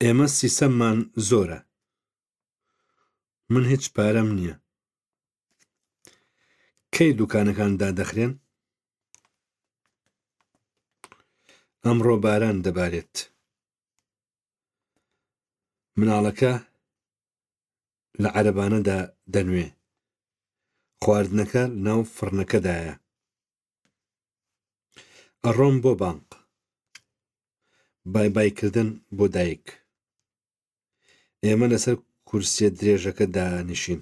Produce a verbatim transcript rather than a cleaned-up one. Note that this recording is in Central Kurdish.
ئێمە سیسەممان زۆرە. من هیچ پارەم نییە. کەی دوکانەکان دادەخرێن؟ ئەمڕۆ باران دەبارێت. مناڵەکە لە عەرەبانەدا دەنوێ. خواردنەکە لەناو فڕنەکەدایە. ئەڕۆم بۆ بانق. بای بای کردن بۆ دایک. ئێمە لەسەر کورسییە درێژەکە دانیشین.